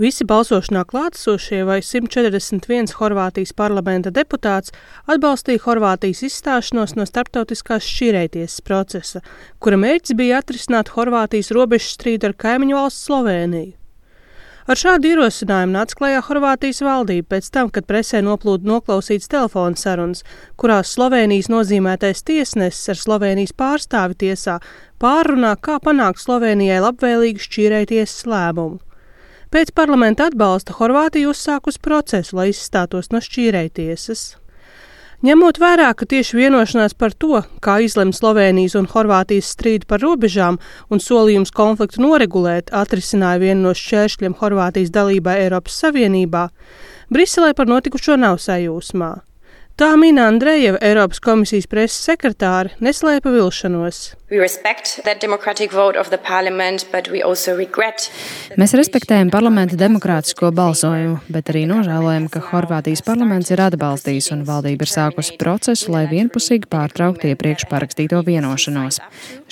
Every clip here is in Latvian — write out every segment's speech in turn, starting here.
Visi balsošanā klātesošie vai 141 Horvātijas parlamenta deputāts atbalstīja Horvātijas izstāšanos no starptautiskās šķīrējtiesas procesa, kura mērķis bija atrisināt Horvātijas robežu strīdu ar kaimiņu valsts Slovēniju. Ar šādu ierosinājumu nāca klajā Horvātijas valdība pēc tam, kad presē noplūda noklausīts telefona sarunas, kurās Slovēnijas nozīmētais tiesnesis ar Slovēnijas pārstāvi tiesā pārrunā, kā panākt Slovēnijai labvēlīgu šķīrējtiesas lēmumu. Pēc parlamenta atbalsta Horvātija uzsākusi procesu, lai izstātos no šķīrējtiesas. Ņemot vērā, ka tieši vienošanās par to, kā izlem Slovēnijas un Horvātijas strīdu par robežām un solījums konfliktu noregulēt, atrisināja vienu no šķēršļiem Horvātijas dalībai Eiropas Savienībā, Briselē par notikušo nav sajūsmā. Tā Mina Andrejeva, Eiropas komisijas preses sekretāre, neslēpa vilšanos. Mēs respektējam parlamenta demokrātisko balsojumu, bet arī nožēlojam, ka Horvātijas parlaments ir atbalstījis un valdība ir sākusi procesu, lai vienpusīgi pārtrauktu iepriekš parakstīto vienošanos.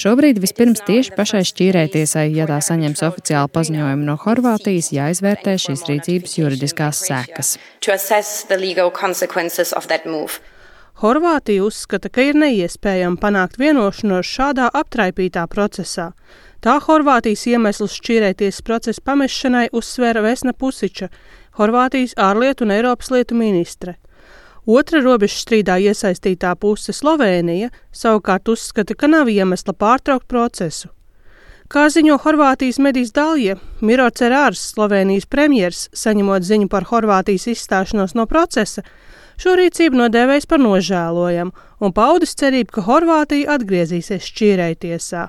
Šobrīd vispirms tieši pašai šķīrējtiesai, ja tā saņems oficiālu paziņojumu no Horvātijas, jāizvērtē šīs rīcības juridiskās sekas. Horvātija uzskata, ka ir neiespējami panākt vienošanos šādā aptraipītā procesā. Tā Horvātijas iemeslus šķīrējtiesas procesa pamešanai uzsvēra Vesna Pusiča, Horvātijas ārlietu un Eiropas lietu ministre. Otra robežu strīdā iesaistītā puse Slovēnija savukārt uzskata, ka nav iemesla pārtraukt procesu. Kā ziņo Horvātijas medijas Dalja, Miro Cerārs, Slovēnijas premjers, saņemot ziņu par Horvātijas izstāšanos no procesa, šo rīcību nodēvējis par nožēlojamu un paudis cerību, ka Horvātija atgriezīsies šķīrējtiesā.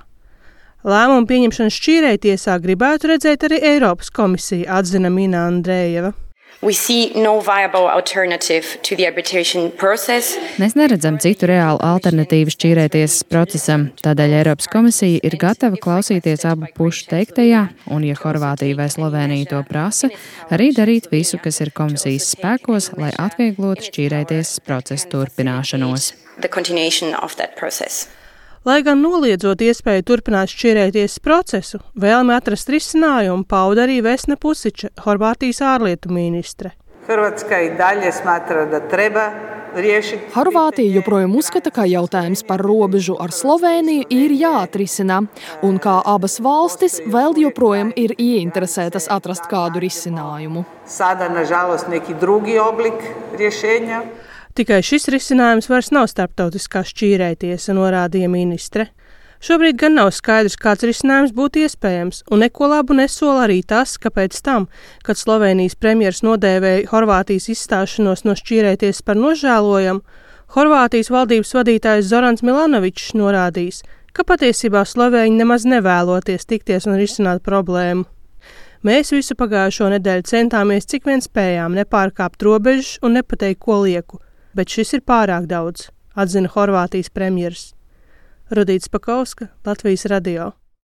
Lēmumu pieņemšanu šķīrējtiesā gribētu redzēt arī Eiropas komisija, atzina Mina Andrejeva. Mēs neredzam citu reālu alternatīvu šķīrējtiesas procesam, tādēļ Eiropas komisija ir gatava klausīties abu pušu teiktajā, un, ja Horvātija vai Slovēnija to prasa, arī darīt visu, kas ir komisijas spēkos, lai atvieglotu šķīrējtiesas procesa turpināšanos. Lai gan noliedzot iespēju turpināt šķīrējtiesas procesu, vēlmi atrast risinājumu pauda arī Vesna Pusiča, Horvātijas ārlietu ministre. Horvātija joprojām uzskata, ka jautājums par robežu ar Slovēniju ir jāatrisina, un kā abas valstis vēl joprojām ir ieinteresētas atrast kādu risinājumu. Tikai šis risinājums vairs nav starptautiskā šķīrējtiesa, norādīja ministre. Šobrīd gan nav skaidrs, kāds risinājums būtu iespējams, un neko labu nesola arī tas, ka pēc tam, kad Slovēnijas premjers nodēvēja Horvātijas izstāšanos no šķīrējtiesas par nožēlojamu, Horvātijas valdības vadītājs Zorans Milanovičs norādījis, ka patiesībā slovēņi nemaz nevēloties tikties un risināt problēmu. Mēs visu pagājušo nedēļu centāmies, cik vien spējām, nepārkāpt robežas un nepateikt, ko lieku. Bet šis ir pārāk daudz, atzina Horvātijas premjers. Rudīts Pakauska, Latvijas radio.